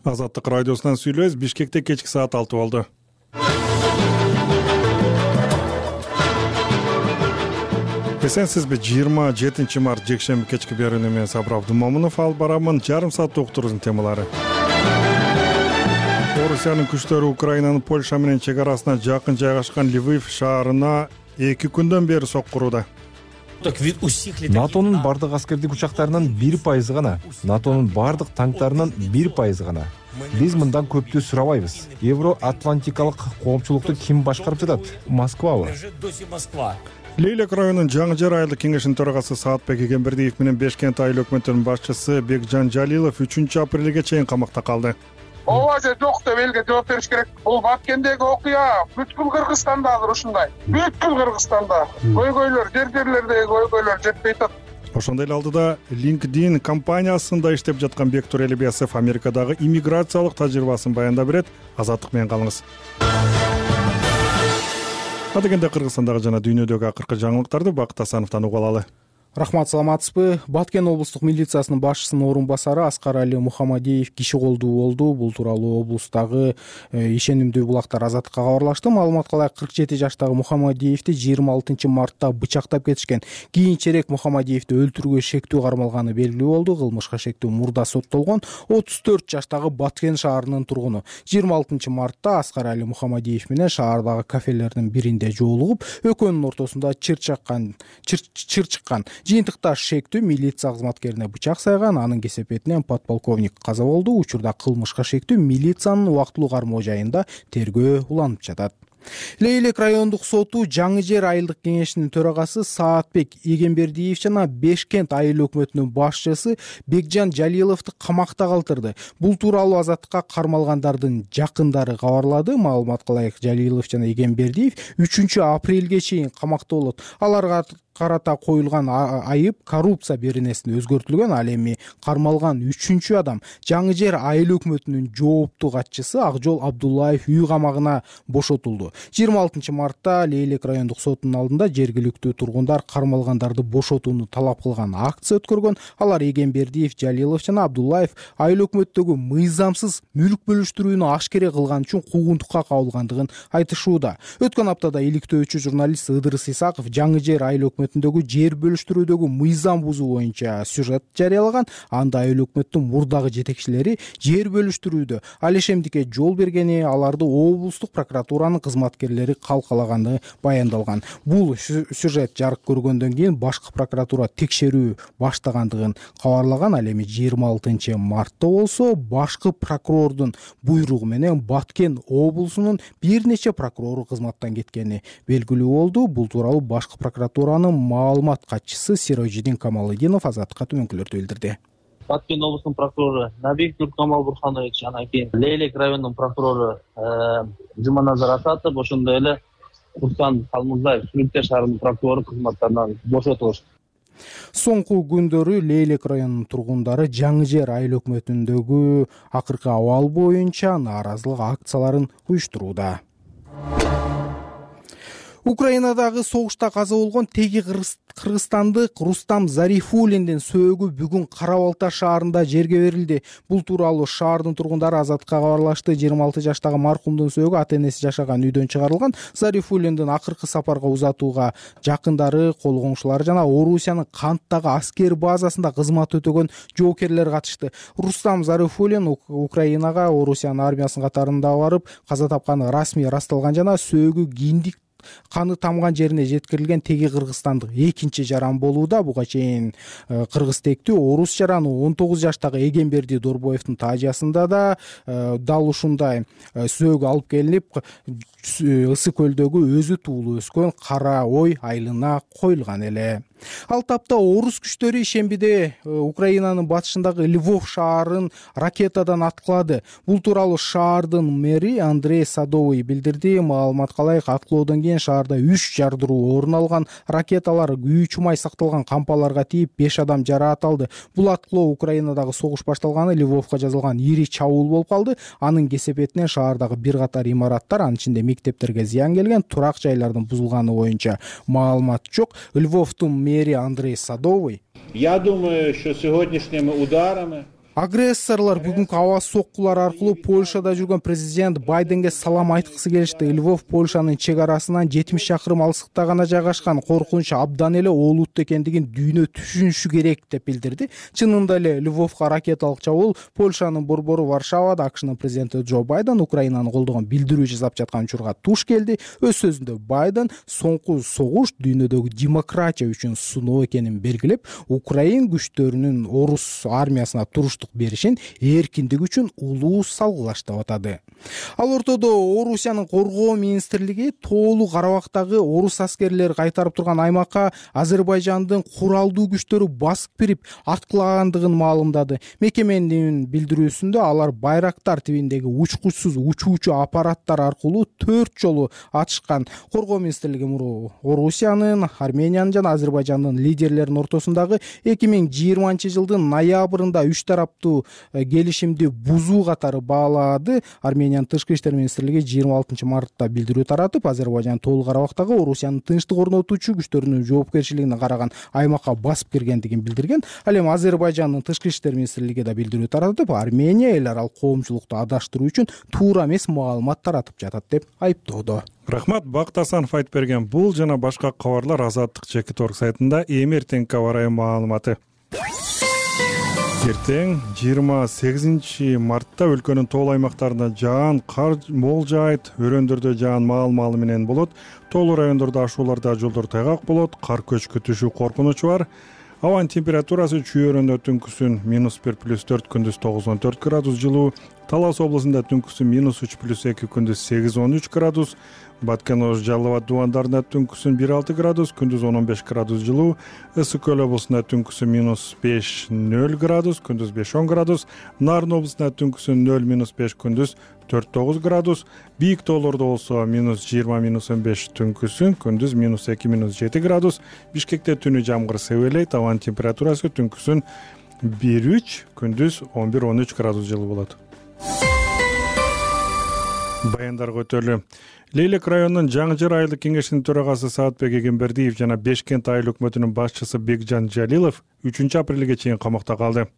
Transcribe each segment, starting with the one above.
Азаттык радиосунан сүйлөбүз. Бишкекте кечки саат 6 болду. Эсенсизби? 27 март жекшемби кечки берүүнү мен Сабыр Абдумомунов алып барамын. Жарым саатта уктуруубуздун темалары. Орусиянын күчтөрү Украинанын Польша менен чек арасына жакын жайгашкан Львив шаарына 2 күндөн бери соккурууда. НАТОнун бардык аскердик учактарынын 1% гана, НАТОнун бардык танктарынын 1% гана. Биз мындан көптү сурабайбыз. Евро-Атлантикалык коомчулукту ким башкарып жатат? Москвабы? Лейлек районунун Жаңы Жер айылдык кеңешинин төрагасы Саатбек Эгембердиев менен Бешкент айыл өкмөтүнүн башчысы Бекжан Жалилов 3-апрелге чейин камакта калды. Ооба же жок деп элге жооп бериш керек. Бул Баткендеги окуя бүткүл Кыргызстанда азыр ушундай. Бүткүл Кыргызстанда көйгөйлөр, жерлердеги көйгөйлөр жетпей атат. Ошондой эле алдыда LinkedIn компаниясында иштеп жаткан Бектур Элибиясов Америкадагы иммиграциялык тажрыйбасын баяндап берет. Азаттык менен калыңыз. Адегенде Кыргызстандагы жана дүйнөдөгү акыркы жаңылыктарды Бакыт Асановдон угуп алалы. Рахмат, саламатсызбы? Баткен облустук милициясынын башчысынын орун басары Аскар Али Мухамадиев киши колдуу болду. Бул тууралуу облустагы ишенимдүү булактар Азаттыкка кабарлашты. Маалыматка ылайык 47 жаштагы Мухамадиевди 26 мартта бычактап кетишкен. Кийинчерээк Мухамадиевди өлтүрүүгө шектүү кармалганы белгилүү болду. Кылмышка шектүү мурда соттолгон 34 жаштагы Баткен шаарынын тургуну 26 мартта Аскар Али Мухамадиев менен шаардагы кафелердин биринде жолугуп, экөөнүн ортосунда чыр чыккан. Жыйынтыкта шектүү милиция кызматкерине бычак сайган, анын кесепетинен подполковник каза болду. Учурда кылмышка шектүү милициянын убактылуу кармоо жайында тергөө уланып жатат. Лейлек райондук соту Жаңы Жер айылдык кеңешинин төрагасы Саатбек Эгембердиев жана Бешкент айыл өкмөтүнүн башчысы Бекжан Жалиловду камакта калтырды. Бул тууралуу Азаттыкка кармалгандардын жакындары кабарлады. Маалыматка ылайык Жалилов жана Эгембердиев 3-апрелге чейин камакта болот. Аларга карата коюлган айып коррупция беренесине өзгөртүлгөн. Ал эми кармалган 3 адам Жаңы Жер айыл өкмөтүнүн жооптуу катчысы Акжол Абдуллаев үй камагына бошотулду. 26 мартта Лейлек райондук сотунун алдында жергиликтүү тургундар кармалгандарды бошотууну талап кылган акция өткөргөн. Алар Эгембердиев, Жалилов жана Абдуллаев айыл өкмөттөгү мыйзамсыз мүлк бөлүштүрүүнү ашкере кылган үчүн куугунтукка кабылгандыгын айтышууда. Өткөн аптада иликтөөчү журналист Ыдырыс Исаков Жаңы Жер айыл өкмөтүндөгү жер бөлүштүрүүдөгү мыйзам бузуу боюнча сюжет жарыялаган. Анда айыл өкмөттүн мурдагы жетекчилери жер бөлүштүрүүдө алешемдикке жол бергени, аларды облустук прокуратуранын кызматкерлери калкалаганы баяндалган. Бул сюжет жарык көргөндөн кийин башкы прокуратура текшерүү баштагандыгын кабарлаган. Ал эми 26 мартта болсо башкы прокурордун буйругу менен Баткен облусунун бир нече прокурору кызматтан кеткени белгилүү болду. Бул тууралуу башкы прокуратуранын маалымат катчысы Сирожидин Камалыдинов Азаттыкка төмөнкүлөрдү билдирди. Баткен облусунун прокурору Набиев Нуркамал Бурханович, анан кийин Лейлек районунун прокурору Жуманазар Асатов, ошондой эле Руслан Калмызбаев Сүрүнтө шаарынын прокурору кызматтарынан бошотулушту. Соңку күндөрү Лейлек районунун тургундары Жаңы Жер айыл өкмөтүндөгү акыркы абал боюнча нааразылык акцияларын уюштурууда. Украинадагы согушта каза болгон теги кыргызстандык Рустам Зарифуллиндин сөөгү бүгүн Кара Балта шаарында жерге берилди. Бул тууралуу шаардын тургундары Азаттыкка кабарлашты. 26 жаштагы маркумдун сөөгү ата-энеси жашаган үйдөн чыгарылган. Зарифуллиндин акыркы сапарга узатууга жакындары, кол коңшулары жана Орусиянын Канттагы аскер базасында кызмат өтөгөн жоокерлер катышты. Рустам Зарифуллин Украинага Орусиянын армиясынын катарында барып каза тапканы расмий ырасталган жана сөөгү киндик каны тамган жерине жеткирилген теги кыргызстандык экинчи жаран болууда. Буга чейин кыргыз тектүү орус жараны 19 жаштагы Эгемберди Дорбоевдун таажасында да дал ушундай сөөгү алып келинип Ысы көлдөгү өзү туулуу өскөн Кара Ой айылына коюлган эле. Ал тапта орус күчтөрү ишембиде Украинанын батышындагы Львов шаарын ракетадан аткылады. Бул тууралуу шаардын мэри Андрей Садовый билдирди. Маалыматка ылайык аткылоодон кийин шаарда 3 жардыруу орун алган. Ракеталар үй чумай сакталган кампаларга тийип 5 адам жараат алды. Бул аткылоо Украинадагы согуш башталганы Львовко жазылган ири чабуул болуп калды. Анын кесепетинен шаардагы бир катар имараттар, анын ичинде мектептерге зыян келген, турак жайлардын бузулганы боюнча маалымат жок. Львовдун мэри Андрей Садовый: Я думаю, что сегодняшними ударами Агрессорлор бүгүнкү аба соккулар аркылуу Польшада жүргөн президент Байденге салам айткысы келишти. Львов Польшанын чек арасынан 70 шакырым алыстыкта гана жайгашкан, коркунуч абдан эле олуттуу экендигин дүйнө түшүнүшү керек деп билдирди. Чынында эле Львовко ракеталык чабуул Польшанын борбору Варшавада АКШнын президенти Джо Байден Украинаны колдогон билдирүү жасап жаткан учурга туш келди. Өз сөзүндө Байден соңку согуш дүйнөдөгү демократия үчүн сыноо экенин белгилеп, Украин күчтөрүнүн орус армиясына туруштук беришин эркиндик үчүн улуу салгылаш деп атады. Ал ортодо Орусиянын коргоо министрлиги Тоолуу Карабактагы орус аскерлери кайтарып турган аймакка Азербайжандын куралдуу күчтөрү басып кирип аткылагандыгын маалымдады. Мекеменин билдирүүсүндө алар Байрактар тибиндеги учкучсуз учуучу аппараттар аркылуу 4 жолу атышкан. Коргоо министрлиги Орусиянын, Армениянын жана Азербайжандын лидерлеринин ортосундагы 2020-жылдын ноябрында 3 тараптуу келишимди бузуу катары баалады. Армениянын тышкы иштер министрлиги 26-мартта билдирүү таратып, Азербайжан Тоолуу Карабактагы Орусиянын тынчтык орнотуучу күчтөрүнүн жоопкерчилигине караган аймакка басып киргендигин билдирген. Ал эми Азербайжандын тышкы иштер министрлиги да билдирүү таратып, Армения эл аралык коомчулукту адаштыруу үчүн туура эмес маалымат таратып жатат деп айыптоодо. Рахмат, Бакыт Асанов айтып берген бул жана башка кабарлар Азаттык Чекит.org сайтында эртең кабар маалыматы. Эртең 28 мартта өлкөнүн тоол аймактарында жаан, кар мол жаайт, өрөөндөрдө жаан маал-маалы менен болот. Тоолуу райондордо ашууларда жолдор тайгак болот, кар көчкү түшүү коркунучу бар. Абанын температурасы Чүй-өрөндө түнкүсүн -1 + 4, күндүз 9-14 градус жылуу. Талас облусунда түнкүсүн -3 + 2, күндүз 8-13 градус. Баткен-Ош, Жалал Абад дубандарында түнкүсүн 1-6 градус, күндүз 10-15 градус жылуу. Ысык көл облусунда түнкүсүн -5-0 градус, күндүз 5-10 градус. Нарын облусунда түнкүсүн 0-5, күндүз 4-9 градус. Бийик тоолордо болсо -20-15 түнкүсүн, күндүз -2-7 градус. Бишкекте түнү жамгыр себелейт, абанын температурасы түнкүсүн 1-3, күндүз 11-13 градус жылуу болот. Баяндарга өтөлү. Лейлек районунун Жаңы Жыр айылдык кеңешинин төрагасы Саатбек Эгембердиев жана Бешкент айыл өкмөтүнүн башчысы Бекжан Жалилов 3 апрелге чейин камакта калды.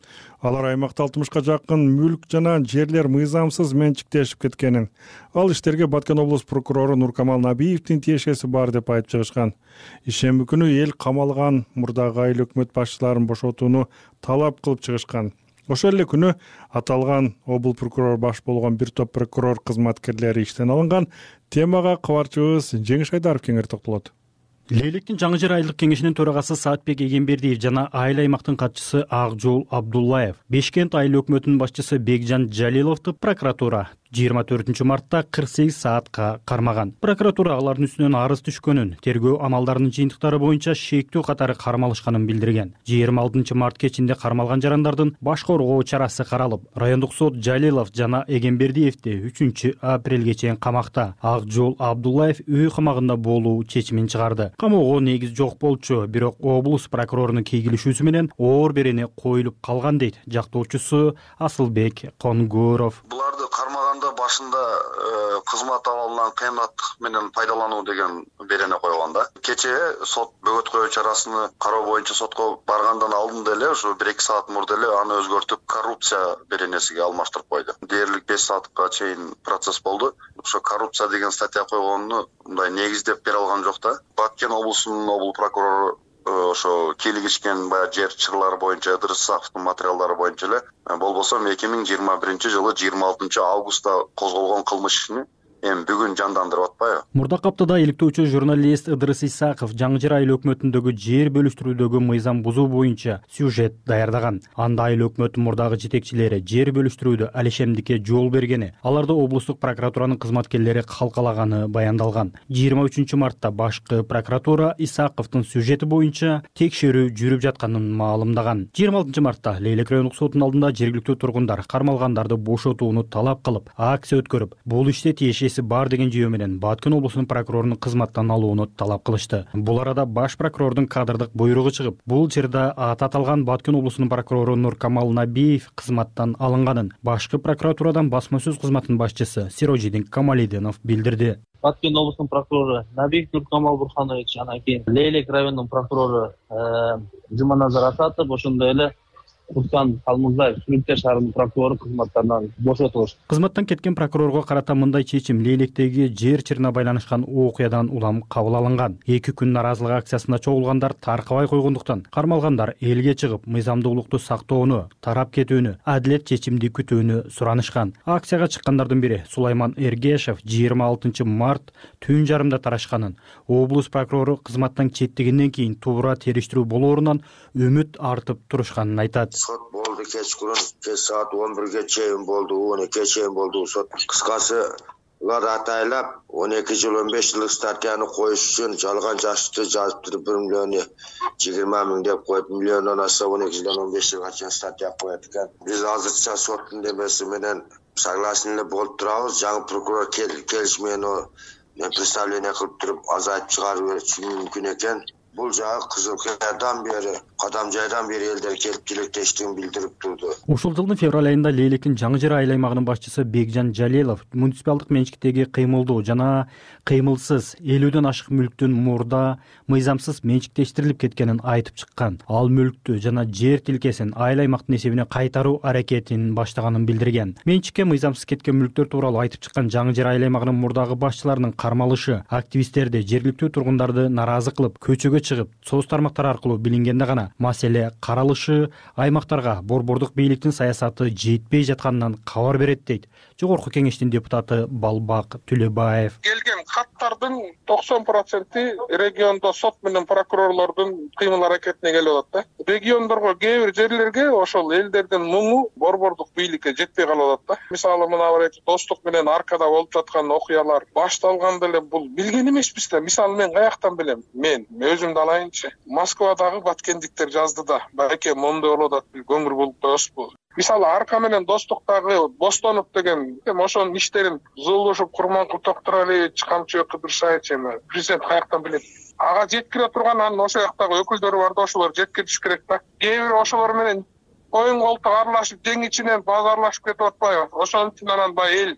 Алар аймакта 60га жакын мүлк жана жерлер мыйзамсыз менчиктешип кеткенин, ал иштерге Баткен облус прокурору Нуркамал Набиевдин тиешеси бар деп айтып чыгышкан. Ишемби күнү эл камалган мурдагы айыл өкмөт башчыларын бошотууну талап кылып чыгышкан. Ошол эле күнү аталган обул прокурор баш болгон бир топ прокурор кызматкерлери иштен алынган. Темага кабарчыбыз Жеңиш Айдаров кеңири токтолот. Лейлектин Жаңы Жыр айылдык кеңешинин төрагасы Саатбек Эгембердиев жана айыл аймактын катчысы Акжол Абдуллаев Бешкент айыл өкмөтүнүн башчысы Бекжан Жалиловду прокуратура 24-мартта 48 саатка кармаган. Прокуратура алардын үстүнөн арыз түшкөнүн, тергөө амалдарынын жыйынтыктары боюнча шектүү катары кармалышканын билдирген. 26-март кечинде кармалган жарандардын баш коргоо чарасы каралып, райондук сот Жалилов жана Эгембердиевди 3 апрелге чейин камакта, Акжол Абдуллаев үй камагында болуу чечимин чыгарды. Камоого негиз жок болчу, бирок облус прокурорунун кейгилишүүсү менен оор берени коюлуп калган дейт жактоочусу Асылбек Конгуров. Буларды кармаганда башында кызмат абалынан кыянаттык менен пайдалануу деген берене койгон да. Кечээ сот бөгөт коюу чарасыны кароо боюнча сотко баргандан алдын деле ушу 1-2 саат мурда эле аны өзгөртүп коррупция беренесиге алмаштырып койду. Дээрлик 5 саатка чейин процесс болду. Ошо коррупция деген статья койгонуну мындай негиздеп бере алган жок да. Баткен облусунун обул прокурору ошо кийлигишкен баягы жер чырлары боюнча Ыдырыс Исаковдун материалдары боюнча эле болбосо 2021-жылы 26 августта козголгон кылмыш ишини эми бүгүн жандандырып атпайбы? Мурдакы аптада иликтөөчү журналист Ыдырыс Исаков Жаңы Жыр айыл өкмөтүндөгү жер бөлүштүрүүдөгү мыйзам бузуу боюнча сюжет даярдаган. Анда айыл өкмөтүнүн мурдагы жетекчилери жер бөлүштүрүүдө алишемдикке жол бергени, аларды облустук прокуратуранын кызматкерлери калкалаганы баяндалган. 23-мартта башкы прокуратура Исаковдун сюжети боюнча текшерүү жүрүп жатканын маалымдаган. 26-мартта Лейлек райондук сотунун алдында жергиликтүү тургундар кармалгандарды бошотууну талап кылып, акция өткөрүп, бул иште тиешеси бар деген жүйө менен Баткен облусунун прокурорунун кызматтан алууну талап кылышты. Бул арада баш прокурордун кадырдык буйругу чыгып, бул чырда аталган Баткен облусунун прокурору Нуркамал Набиев кызматтан алынганын башкы прокуратурадан басма сөз кызматынын башчысы Сирожидин Камалидинов билдирди. Баткен облусунун прокурору Набиев Нуркамал Бурханович, анан кийин Лейлек районунун прокурору Жуманазар Асатов, ошондой эле Руслан Калмызбаев Сүрүттер шаарынын прокурору кызматтарынан бошотулуш. Кызматтан кеткен прокурорго карата мындай чечим Лейлектеги жер чырына байланышкан окуядан улам кабыл алынган. 2 күн наразылык акциясына чогулгандар таркабай койгондуктан кармалгандар элге чыгып, мыйзамдуулукту сактоону, тарап кетүүнү, адилет чечимди күтүүнү суранышкан. Акцияга чыккандардын бири Сулайман Эргешев 26 март түн жарымда тарашканын, облус прокурору кызматтан четтегенден кийин туура териштирүү болоорунан үмүт артып турушканын айтат. Сот болду кечкурун, кеч саат 11ге чейин болду, 12ге чейин болду сот. Кыскасы улар атайлап 12 жыл 15 жылдык статьяны коюш үчүн жалган жашты жазып туруп 1 миллион 20 миң деп коюп, миллиондон ашса 12 жылдан 15 жылга чейин статья коет экен. Биз азырча соттун демеси менен согласен болуп турабыз. Жаңы прокурор келиш менен представление кылып туруп азайтып чыгарып бериши мүмкүн экен. Бул жагы Кызыл Кыядан бери, Кадамжайдан бери элдер келип тилектештигин билдирип турду. Ушул жылдын февраль айында Лейлектин Жаңы Жер айыл аймагынын башчысы Бекжан Жалилов муниципалдык менчиктеги кыймылдуу жана кыймылсыз 50ден ашык мүлктүн мурда мыйзамсыз менчиктештирилип кеткенин айтып чыккан. Ал мүлктү жана жер тилкесин айыл аймактын эсебине кайтаруу аракетин баштаганын билдирген. Менчикке мыйзамсыз кеткен мүлктөр тууралуу айтып чыккан Жаңы Жер айыл аймагынын мурдагы башчыларынын кармалышы активисттерди, жергиликтүү тургундарды наразы кылып, көчөгө чыгып, соц тармактар аркылуу билингенде гана маселе каралышы аймактарга борбордук бийликтин саясаты жетпей жатканынан кабар берет дейт Жогорку Кеңештин депутаты Балбак Түлөбаев. Келген каттардын 90% региондо сот менен прокурорлордун кыймыл аракетине келип атат да. Региондорго, кээ бир жерлерге ошол элдердин муңу борбордук бийликке жетпей калып атат да. Мисалы мына бир достук менен аркада болуп жаткан окуялар башталганда эле бул билген эмеспиз да. Мисалы мен каяктан билем? Мен өзүмдү алайынчы. Москвадагы баткендиктер жазды да. Байке мондой болуп атат, көңүр болуп коесузбу? Мисалы арка менен достуктагы Бостонов деген ошонун иштерин Зулушев, Курманкул, Токторалиевич, Камчыбек Кыдыршаевич президент каяктан билет? Ага жеткире турган анын ошол жактагы өкүлдөрү бар да, ошолор жеткириш керек да. Кээ бир ошолор менен коюн колтук аралашып, тең ичинен базарлашып кетип атпайбы? Ошон үчүн анан баягы эл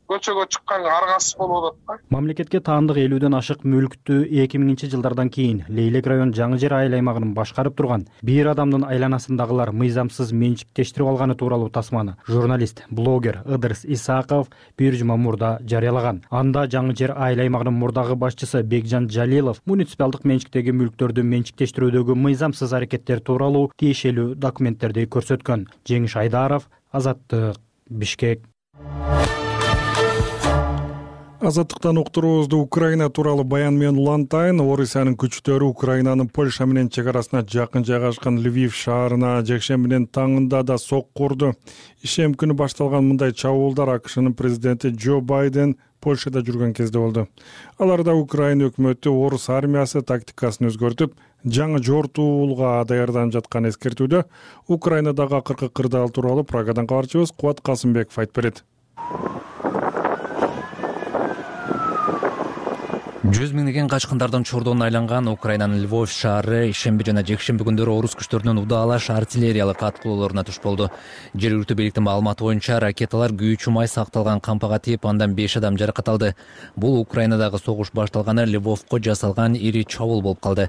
көчөгө чыкканга аргасыз болуп атат да. Мамлекетке таандык 50ден ашык мүлктү 2000-жылдардан кийин Лейлек район Жаңы Жер айыл аймагын башкарып турган бир адамдын айланасындагылар мыйзамсыз менчиктештирип алганы тууралуу тасманы журналист, блогер Ыдырыс Исаков бир жума мурда жарыялаган. Анда Жаңы Жер айыл аймагынын мурдагы башчысы Бекжан Жалилов муниципалдык менчиктеги мүлктөрдү менчиктештирүүдөгү мыйзамсыз аракеттер тууралуу тиешелүү документтерди көрсөткөн. Жеңиш Айдаров, Азаттык, Бишкек. Азаттыктан уктуруубузду Украина тууралуу баян менен улантайын. Орусиянын күчтөрү Украинанын Польша менен чек арасына жакын жайгашкан Львив шаарына жекшембинин таңында да сокку урду. Ишем күнү башталган мындай чабуулдар АКШнын президенти Джо Байден Польшада жүргөн кезде болду. Аларда Украина өкмөтү орус армиясы тактикасын өзгөртүп, жаңы жортуулга даярданып жатканын эскертүүдө. Украинадагы акыркы кырдаал тууралуу Прагадан кабарчыбыз Кубат Касымбеков айтып берет. 100 миңдеген качкындардын чордоуна айланган Украинанын Львов шаары ишемби жана жекшемби күндөрү орус күчтөрүнүн удаалаш артиллериялык аткылоолоруна туш болду. Жергиликтүү бийликтин маалыматы боюнча ракеталар күйүүчү май сакталган кампага тийип, андан 5 адам жаракат алды. Бул Украинадагы согуш башталганы Львовко жасалган ири чабуул болуп калды.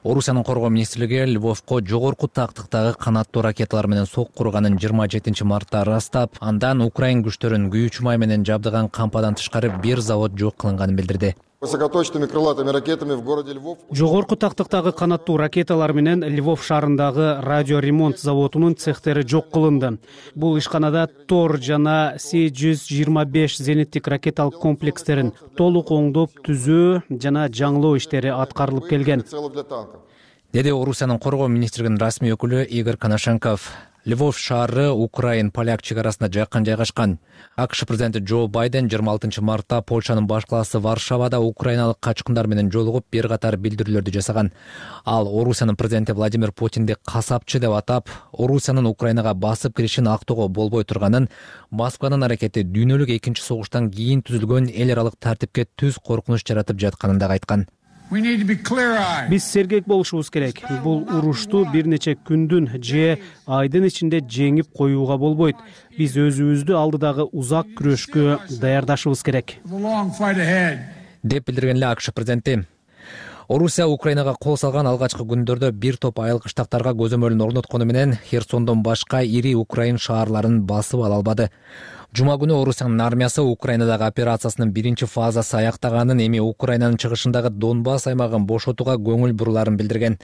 Орусиянын коргоо министрлиги Львовко жогорку тактыктагы канаттуу ракеталар менен сокку урганын 27 мартта ырастап, андан Украин күчтөрүн күйүүчү май менен жабдыган кампадан тышкары бир завод жок кылынганын билдирди. Высокоточными крылатыми ракетами в городе Львов. Жогорку тактыктагы канаттуу ракеталар менен Львов шаарындагы радиоремонт заводунун цехтери жок кылынды. Бул ишканада Тор жана С-125 зениттик ракеталык комплекстерин толук оңдоп түзөө жана жаңылоо иштери аткарылып келген, деди Орусиянын коргоо министрлигинин расмий өкүлү Игорь Коношенков. Львов шаары Украин-поляк чек арасында жакын жайгашкан. АКШ президенти Джо Байден 26 мартта Польшанын баш калаасы Варшавада украиналык качкындар менен жолугуп бир катар билдирүүлөрдү жасаган. Ал Орусиянын президенти Владимир Путинди касапчы деп атап, Орусиянын Украинага басып киришин актоого болбой турганын, Москванын аракети дүйнөлүк экинчи согуштан кийин түзүлгөн эл аралык тартипке түз коркунуч жаратып жатканын да айткан. Биз сергек болушубуз керек. Бул урушту бир нече күндүн же айдын ичинде жеңип коюуга болбойт. Биз өзүбүздү алдыдагы узак күрөшкө даярдашыбыз керек, деп билдирген эле АКШ президенти. Орусия Украинага кол салган алгачкы күндөрдө бир топ айыл кыштактарга көзөмөлүн орноткону менен Херсондон башка ири Украин шаарларын басып ала албады. Жума күнү Орусиянын армиясы Украинадагы операциясынын биринчи фазасы аяктаганын, эми Украинанын чыгышындагы Донбасс аймагын бошотууга көңүл буруларын билдирген.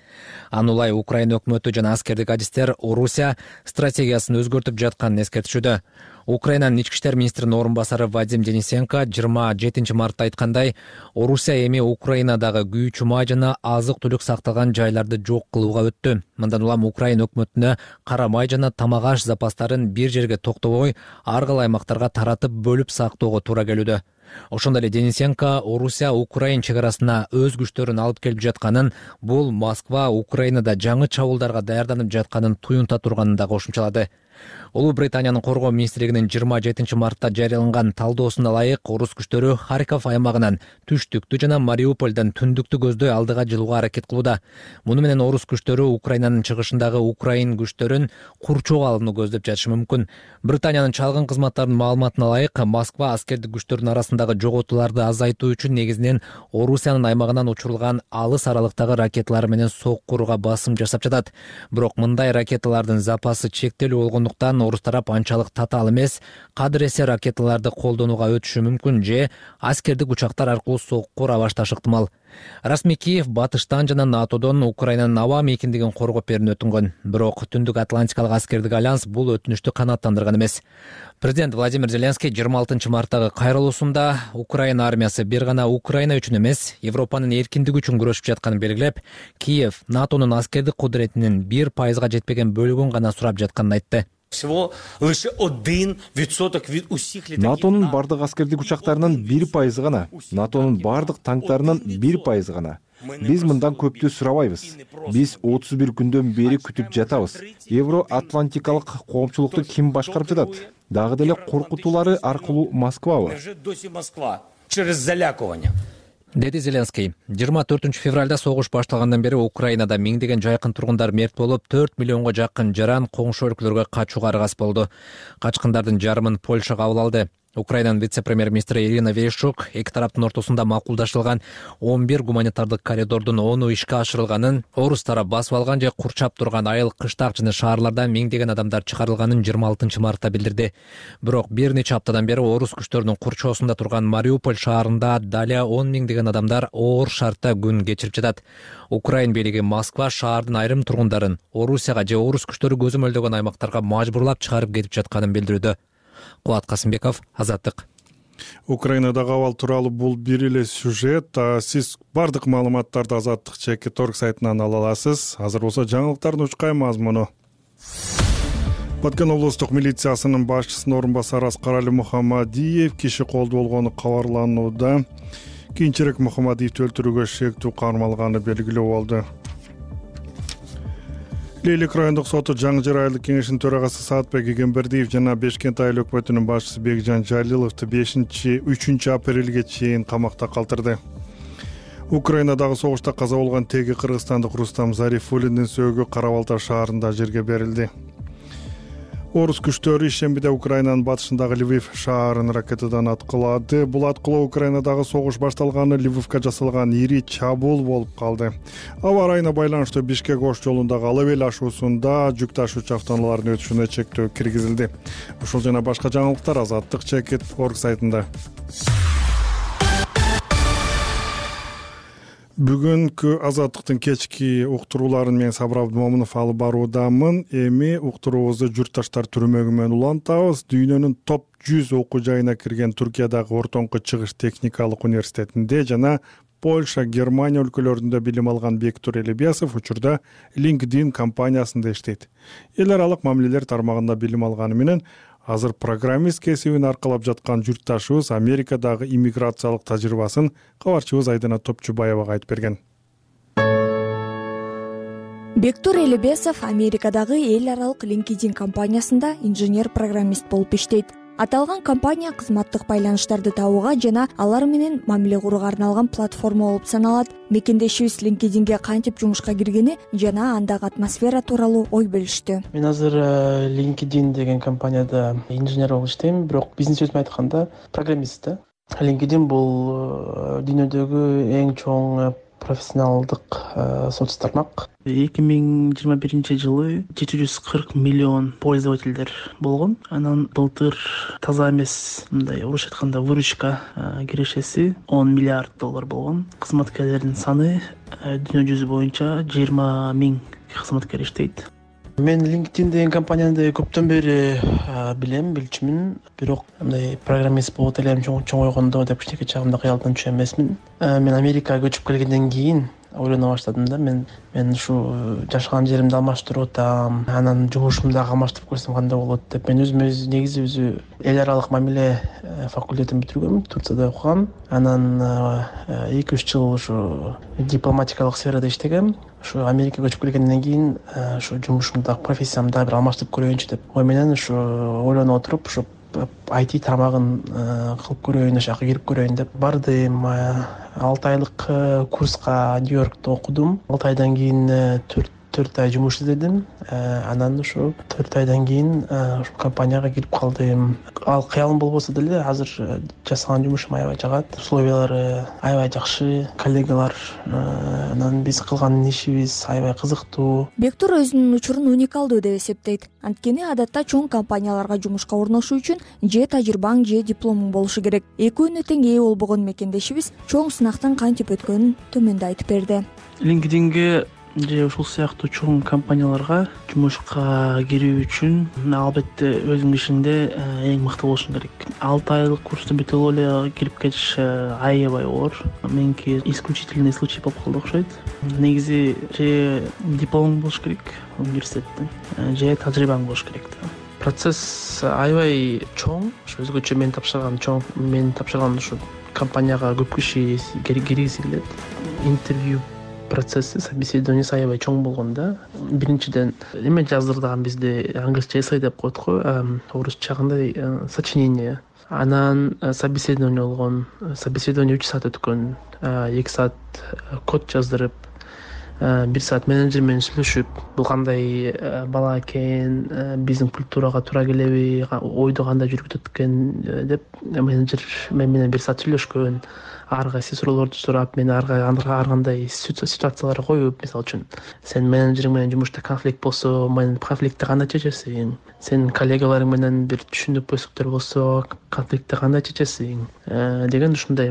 Анулай Украина өкмөтү жана аскердик адистер Орусия стратегиясын өзгөртүп жатканын эскертишүүдө. Украинанын ички иштер министринин орун басары Вадим Денисенко 27 мартта айткандай, Орусия эми Украинадагы күйүүчү май жана азык-түлүк сакталган жайларды жок кылууга өттү. Мындан улам Украина өкмөтүнө кара май жана тамак аш запастарын бир жерге токтобой, ар кандай аймактарга таратып бөлүп сактоого туура келүүдө. Ошондой эле Денисенко Орусия Украин чек арасына өз күчтөрүн алып келип жатканын, бул Москва Украинада жаңы чабуулдарга даярданып жатканын туюнта турганын да кошумчалады. Улуу Британиянын коргоо министрлигинин 27 мартта жарыяланган талдоосуна ылайык, орус күчтөрү Харьков аймагынан түштүктү жана Мариупольдон түндүктү көздөй алдыга жылууга аракет кылууда. Муну менен орус күчтөрү Украинанын чыгышындагы Украин күчтөрүн курчоого алууну көздөп жатышы мүмкүн. Британиянын чалгын кызматтарынын маалыматына ылайык, Москва аскердик күчтөрдүн арасындагы жоготууларды азайтуу үчүн негизинен Орусиянын аймагынан учурулган алыс аралыктагы ракеталар менен соккурууга басым жасап жатат. Бирок мындай ракеталардын запасы чектелүү болгондуктан орус тарап анчалык татаал эмес, кадыр эсе ракеталарды колдонууга өтүшү мүмкүн же аскердик учактар аркылуу соккура башташы ыктымал. Расмий Киев батыштан жана НАТОдон Украинанын аба мейкиндигин коргоп берүүнү өтүнгөн. Бирок Түндүк Атлантикалык аскердик альянс бул өтүнүштү канааттандырган эмес. Президент Владимир Зеленский 26 марттагы кайрылуусунда Украина армиясы бир гана Украина үчүн эмес, Европанын эркиндиги үчүн күрөшүп жатканын белгилеп, Киев НАТОнун аскердик кудуретинин 1% жетпеген бөлүгүн гана сурап жатканын айтты. НАТОнун бардык аскердик учактарынын 1% гана, НАТОнун бардык танктарынын 1% гана. Биз мындан көптү сурабайбыз. Биз 31 күндөн бери күтүп жатабыз. Евро-Атлантикалык коомчулукту ким башкарып жатат? Дагы деле коркутуулары аркылуу Москвабы? Деди Зеленский. 24 февралда согуш башталгандан бери Украинада миңдеген жайкын тургундар мерт болуп, 4 миллионго жакын жаран коңшу өлкөлөргө качууга аргасыз болду. Качкындардын жарымын Польша кабыл алды. Украинанын вице-премьер-министри Ирина Верещук эки тараптын ортосунда макулдашылган 11 гуманитардык коридордун 10 ишке ашырылганын, орус тарап басып алган же курчап турган айыл, кыштак жана шаарлардан миңдеген адамдар чыгарылганын 26 мартта билдирди. Бирок бир нече аптадан бери орус күчтөрүнүн курчоосунда турган Мариуполь шаарында дали 10 миңдеген адамдар оор шартта күн кечирип жатат. Украин бийлиги Москва шаардын айрым тургундарын Орусияга же орус күчтөрү көзөмөлдөгөн аймактарга мажбурлап чыгарып кетип жатканын билдирүүдө. Кубат Касымбеков, Азаттык. Украинадагы абал тууралуу бул бир эле сюжет. Сиз бардык маалыматтарды Азаттык /org сайтынан ала аласыз. Азыр болсо жаңылыктардын учкай мазмуну. Баткен облустук милициясынын башчысынын орун басары Аскарали Мухамадиев киши колдуу болгону кабарланууда. Кийинчерээк Мухамадиевди өлтүрүүгө шектүү кармалганы белгилүү болду. Лейлек райондук соту Жаңы Жыр айылдык кеңешинин төрагасы Саатбек Эгембердиев жана Бешкент айыл өкмөтүнүн башчысы Бекжан Жалиловду 3 апрелге чейин камакта калтырды. Украинадагы согушта каза болгон теги кыргызстандык Рустам Зарифуллиндин сөөгү Кара Балта шаарында жерге берилди. Орус күчтөрү ишембиде Украинанын батышындагы Львив шаарын ракетадан аткылады. Бул аткылоо Украинадагы согуш башталганы Львивке жасалган ири чабуул болуп калды. Аба ырайына байланыштуу Бишкек Ош жолундагы Алабел ашуусунда жүк ташуучу автоунаалардын өтүшүнө чектөө киргизилди. Ушул жана башка жаңылыктар Азаттык /org сайтында. Бүгүнкү Азаттыктын кечки уктурууларын мен Сабыр Абдымомунов алып баруудамын. Эми уктуруубузду журтташтар түрмөгү менен улантабыз. Дүйнөнүн топ 100 окуу жайына кирген Туркиядагы ортоңку чыгыш техникалык университетинде жана Польша, Германия өлкөлөрүндө билим алган Бектур Элебиясов учурда LinkedIn компаниясында иштейт. Эл аралык мамилелер тармагында билим алганы менен азыр программист кесибин аркалап жаткан журтташыбыз Америкадагы иммиграциялык тажрыйбасын кабарчыбыз Айдана Топчубаевага айтып берген. Бектур Элебесов Америкадагы эл аралык LinkedIn компаниясында инженер-программист болуп иштейт. Аталган компания кызматтык байланыштарды табууга жана алар менен мамиле курууга арналган платформа болуп саналат. Мекендешибиз LinkedInге кантип жумушка киргени жана андагы атмосфера тууралуу ой бөлүштү. Мен азыр LinkedIn деген компанияда инженер болуп иштейм, бирок бизнес сөзүн айтканда программист да. LinkedIn бул дүйнөдөгү эң чоң профессионалдык соц тармак. 2021 жылы 740 миллион пользовательдер болгон. Анан былтыр таза эмес, мындай орусча айтканда выручка кирешеси $10 миллиард болгон. Кызматкерлердин саны дүйнө жүзү боюнча 20 000 кызматкер иштейт. Мен LinkedIn деген компанияны көптөн бери билчүмүн, бирок мындай программист болот элем чоңойгондо деп кичинекей чагымда кыялдан түшө эмесмин. Мен Америкага көчүп келгенден кийин ойлоно баштадым да, мен ушу жашаган жеримди алмаштырып атам, анан жумушумду дагы алмаштырып көрсөм кандай болот деп. Мен негизи эл аралык мамиле факультетин бүтүргөм, Турцияда окугам. Анан 2-3 жыл ушу дипломатикалык сферада иштегем. Ушу Америкага көчүп келгенден кийин ушу жумушумду, профессиямды дагы бир алмаштырып көрөйүнчү деп ой менен ушу ойлонуп отуруп, ушу IT тармагын кылып көрөйүн, ошол жака кирип көрөйүн деп бардым. 6 айлык курска Нью-Йоркто окудум. 6 айдан кийин 4 ай жумуш издедим. Анан ушу 4 айдан кийин ушу компанияга кирип калдым. Ал кыялым болбосо деле азыр жасаган жумушум аябай жагат. Условиялары аябай жакшы, коллегалар, анан биз кылган ишибиз аябай кызыктуу. Бектур өзүнүн учурун уникалдуу деп эсептейт. Анткени адатта чоң компанияларга жумушка орношуу үчүн же тажрыйбаң же дипломуң болушу керек. Экөөнүнө тең ээ болбогон мекендешибиз чоң сынактан кантип өткөнүн төмөндө айтып берди. LinkedIn'ге же ушул сыяктуу чоң компанияларга жумушка кирүү үчүн албетте өзүңдүн ишиңде эң мыкты болушуң керек. 6 айлык курсту бүтүп эле кирип кетиш аябай оор. Меники исключительный случай болуп калды окшойт. Негизи же дипломуң болуш керек университеттин, же тажрыйбаң болуш керек да. Процесс аябай чоң, өзгөчө мен тапшырган ушу компанияга көп киши киргизи келет. Интервью процесси, собеседованиясы аябай чоң болгон да. Биринчиден эме жаздырдыган бизде англисче эссей деп коет го, орусча кандай сочинение. Анан собеседование болгон. Собеседование 3 саат өткөн. 2 саат код жаздырып, 1 саат менеджер менен сүйлөшүп, бул кандай бала экен, биздин культурага туура келеби, ойду кандай жүргүзөт экен деп менеджер менен 1 саат сүйлөшкөн. Ар кайсы суроолорду сурап, мен ар кандай ситуацияларга коюп, мисалы үчүн сен менеджериң менен жумушта конфликт болсо, конфликтти кандай чечесиң? Сен коллегаларың менен бир түшүнүкпөздүктөр болсо, конфликтти кандай чечесиң? Деген ушундай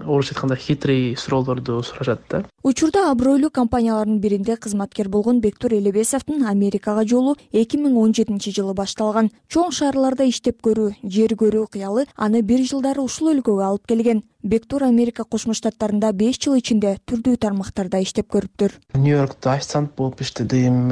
орусча айтканда хитрый суроолорду сурашат да. Учурда абройлуу компаниялардын биринде кызматкер болгон Бектур Элебесовдун Америкага жолу 2017 жылы башталган. Чоң шаарларда иштеп көрүү, жер көрүү кыялы аны 1 жылдары ушул өлкөгө алып келген. Бектур Америка Кошмо Штаттарында 5 жыл ичинде түрдүү тармактарда иштеп көрүптүр. Нью-Йоркто официант болуп иштедим,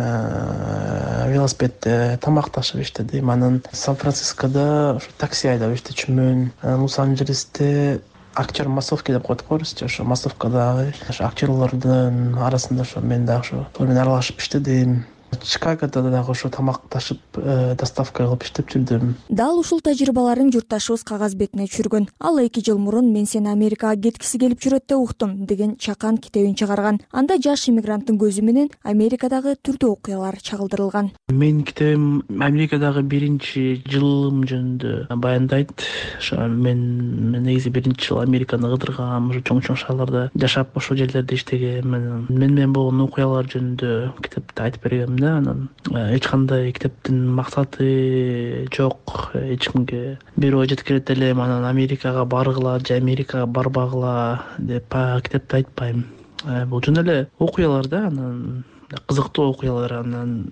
велосипедде тамакташып иштедим. Анан Сан-Францискодо такси айдап иштечүмүн. Лос-Анджелесте актер массовки деп коет го орусча, ошо массовкадагы актерлордун арасында мен дагы ошо менен аралашып иштедим. Чикагодо дагы ошо тамакташып, доставка кылып иштеп жүрдүм. Дал ушул тажрыйбаларын журтташыбыз кагаз бетине түшүргөн. Ал 2 жыл мурун мен сени Америкага кеткиси келип жүрөт деп уктум деген чакан китебин чыгарган. Анда жаш иммигранттын көзү менен Америкадагы түрдүү окуялар чагылдырылган. Менин китебим Америкадагы 1 жылым жөнүндө баяндайт. Ошо мен негизи 1 жыл Американы кыдыргам, ошо чоң шаарларда жашап, ошол жерлерде иштегем. Мен менен болгон окуялар жөнүндө китепте айтып бергем. Анан эч кандай китептин максаты жок, эч кимге бир ой жеткирет элем, анан Америкага баргыла же Америкага барбагыла деп китепте айтпайм. Бул жөн эле окуялар да, анан кызыктуу окуялар, анан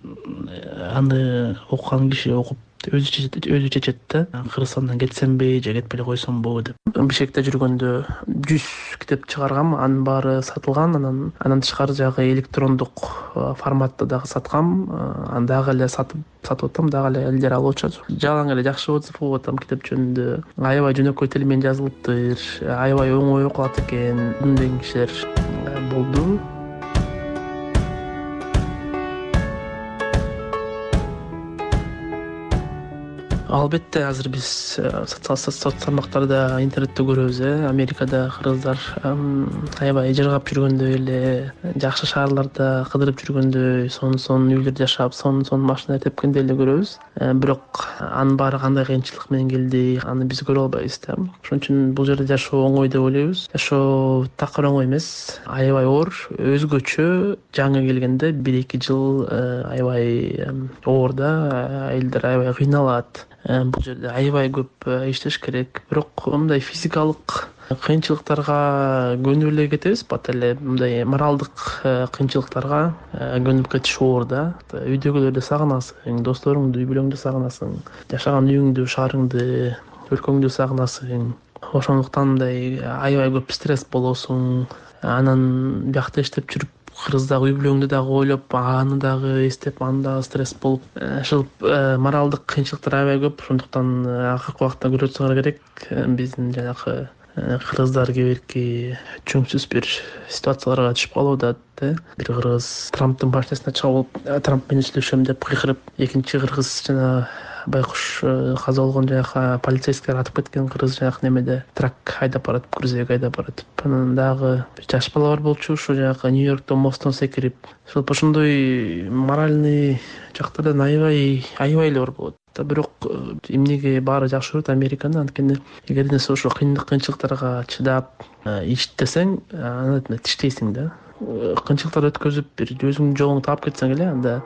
аны окуган киши окуп өзү чечет да. Кыргызстандан кетсемби же кетпей эле койсомбу деп. Бишкекте жүргөндө 100 китеп чыгаргам, анын баары сатылган. Анан тышкары жагы электрондук форматта дагы саткам. Аны дагы эле сатып атам, дагы эле элдер алып атышат. Жалаң эле жакшы отзыв болуп атам китеп жөнүндө. Аябай жөнөкөй тил менен жазылыптыр, аябай оңой окулат экен деген кишилер болду. Албетте азыр биз соц тармактарда интернетте көрөбүз, Америкада кыргыздар аябай жыргап жүргөндөй эле, жакшы шаарларда кыдырып жүргөндөй, сонун үйлөрдө жашап, сонун машина тепкенди эле көрөбүз. Бирок анын баары кандай кыйынчылык менен келди, аны биз көрө албайбыз да. Ошон үчүн бул жерде жашоо оңой деп ойлойбуз. Жашоо такыр оңой эмес, аябай оор, өзгөчө. Жаңы келгенде 1-2 жыл аябай оор да, айылдар аябай кыйналат. Бул жерде аябай көп иштеш керек. Бирок мындай физикалык кыйынчылыктарга көнүп эле кетебиз, бат эле мындай моралдык кыйынчылыктарга көнүп кетиш оор да. Үйдөгүлөрдү сагынасың, досторуңду, үй бүлөңдү сагынасың, жашаган үйүңдү, шаарыңды, өлкөңдү сагынасың. Ошондуктан мындай аябай көп стресс болосуң. Анан биякта иштеп жүрүп кыргыздагы үй бүлөңдү дагы ойлоп, аны дагы эстеп, аны дагы стресс болуп, ушул моралдык кыйынчылыктар аябай көп. Ошондуктан акыркы убакта көрө турсаңар керек, биздин жанагы кыргыздар кээ бирки чөңсүз бир ситуацияларга түшүп калууда. Бир кыргыз Трамптын машинасына чабылып, Трамп менен сүйлөшөм деп кыйкырып, экинчи кыргыз жана байкуш каза болгон жанагы полицейскийлер атып кеткен кыргыз жанагы немеде трак айдап баратып, грузовик айдап баратып. Анан дагы жаш бала бар болчу, ушу жанагы Нью-Йорктон мосттон секирип. Ошондой моральный жактардан аябай эле оор болот. Бирок эмнеге баары жакшы көрөт Американы? Анткени эгер сен ошо кыйынчылыктарга чыдап иштесең, аны тиштейсиң да. Кыйынчылыктарды өткөзүп, бир өзүңдүн жолуңду таап кетсең эле, анда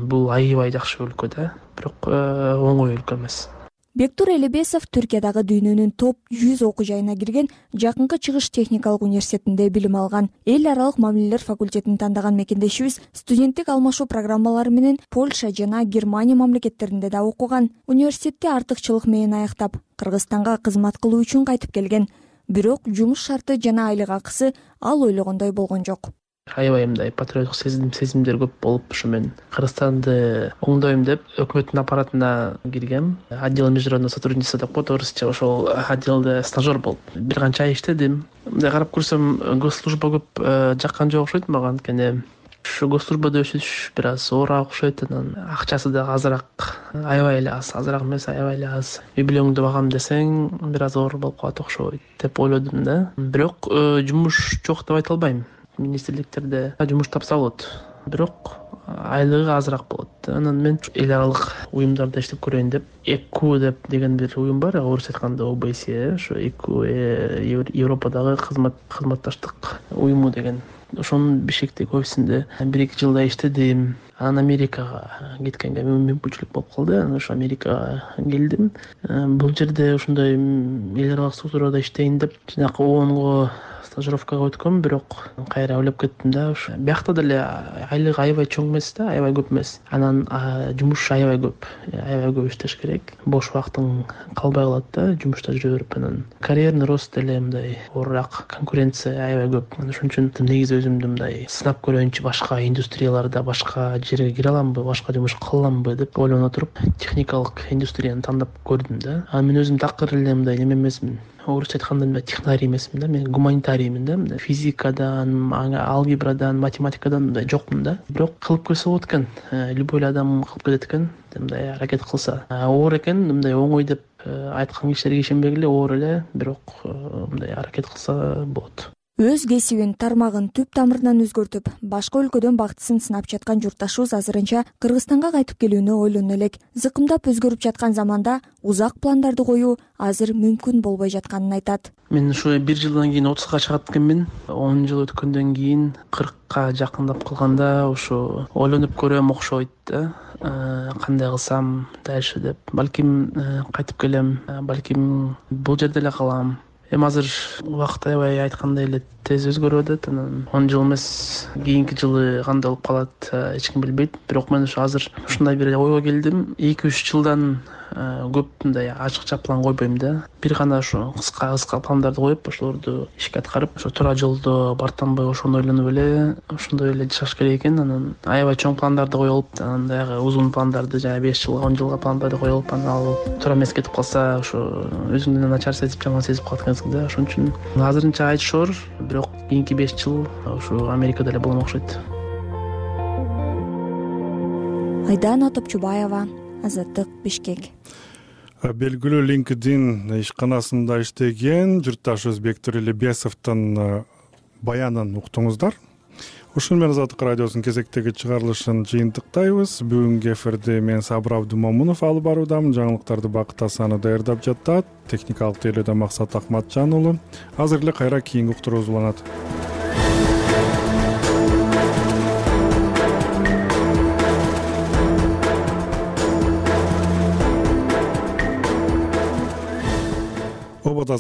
бул аябай жакшы өлкө да. Бирок оңой өлкө эмес. Бектур Элебесов Түркиядагы дүйнөнүн топ 100 окуу жайына кирген, Жакынкы Чыгыш техникалык университетинде билим алган. Эл аралык мамилелер факультетин тандаган мекендешибиз студенттик алмашуу программалары менен Польша жана Германия мамлекеттеринде да окуган. Университетти артыкчылык менен аяктап, Кыргызстанга кызмат кылуу үчүн кайтып келген. Бирок жумуш шарты жана айлык акысы ал ойлогондой болгон жок. Аябай мындай патриоттук сезимдер көп болуп, ушу мен Кыргызстанды оңдойм деп өкмөттүн аппаратына киргем. Отдел международного сотрудничества деп коет орусча. Ошол отделде стажер болуп бир канча ай иштедим. Мындай карап көрсөм, госслужба көп жаккан жок окшойт мага, анткени ушу госслужбада өсүш бир аз оорураак окшойт. Анан акчасы дагы азыраак, аябай эле аз, азыраак эмес, аябай эле аз. Үй бүлөңдү багам десең, бир аз оор болуп калат окшойт деп ойлодум да. Бирок жумуш жок деп айта албайм. Министрликтерде жумуш тапса болот, бирок айлыгы азыраак болот. Анан мен эл аралык уюмдарда иштеп көрөйүн деп, ЭКУ деп деген бир уюм бар, орусча айтканда ОБСЕ, ошо ЭКУ Европадагы кызматташтык уюму деген. Ошонун Бишкектеги офисинде 1-2 жылдай иштедим. Анан Америкага кеткенге мүмкүнчүлүк болуп калды. Анан ошо Америкага келдим. Бул жерде ошондой эл аралык структурада иштейин деп жанакы ООНго стажировкага өткөм, бирок кайра ойлоп кеттим да. Биякта деле айлык аябай чоң эмес да, аябай көп эмес. Анан жумуш аябай көп иштеш керек. Бош убактың калбай калат да, жумушта жүрө берип. Анан карьерный рост деле мындай оорураак, конкуренция аябай көп. Ошон үчүн негизи өзүмдү мындай сынап көрөйүнчү, башка индустрияларда, башка жерге кире аламбы, башка жумуш кыла аламбы деп ойлоно туруп, техникалык индустрияны тандап көрдүм да. Мен өзүм такыр эле мындай неме эмесмин. Орусча айтканда технарий эмесмин да, мен гуманитариймин да. Физикадан, алгебрадан, математикадан мындай жокмун да. Бирок кылып көрсө болот экен. Любой адам кылып кетет экен, мындай аракет кылса. Оор экен, мындай оңой деп айткан кишилерге ишенбегиле, оор эле, бирок мындай аракет кылса болот. Өз кесибин, тармагын түп тамырынан өзгөртүп, башка өлкөдөн бактысын сынап жаткан журтташыбыз азырынча Кыргызстанга кайтып келүүнү ойлоно элек. Зыкымдап өзгөрүп жаткан заманда узак пландарды коюу азыр мүмкүн болбой жатканын айтат. Мен ушу 1 жылдан кийин 30га чыгат экенмин. 10 жыл өткөндөн кийин 40ка жакындап калганда ушу ойлонуп көрөм окшойт да. Кандай кылсам дальше деп. Балким кайтып келем, балким бул жерде эле калам. Азыр убакыт аябай айткандай эле тез өзгөрүп атат. Анан 10 жыл эмес, кийинки жылы кандай болуп калат, эч ким билбейт. Бирок мен ушу азыр ушундай бир ойго келдим. 2-3 жылдан көп мындай ачыкча план койбойм да. Бир гана ушу кыска пландарды коюп, ошолорду ишке аткарып, ошо туура жолдо бартамбы ошону ойлонуп эле, ошондой эле жашаш керек экен. Анан аябай чоң пландарды коюп, анан дагы узун пландарды, жана 5 жылга, 10 жылга пландарды коюп, анан ал туура эмес кетип калса, ошо өзүңдү начар сезип, жаман сезип калат экенсиң да. Ошон үчүн азырынча айтышор, бирок кийинки 5 жыл ушу Америкада эле болом окшойт. Айдана Топчубаева, Азаттык, Бишкек. белгилүү LinkedIn ишканасында иштеген журтташыбыз Бектур Элебесовдун баянын уктуңуздар. Ушун менен Азаттык радиосунун кезектеги чыгарылышын жыйынтыктайбыз. Бүгүнкү эфирди мен Сабыр Абдумомунов алып баруудамын. Жаңылыктарды Бакыт Асанов даярдап жатат. Техникалык тейлөөдө Максат Акматжан уулу. Азыр эле кайра кийинки уктуруубуз уланат.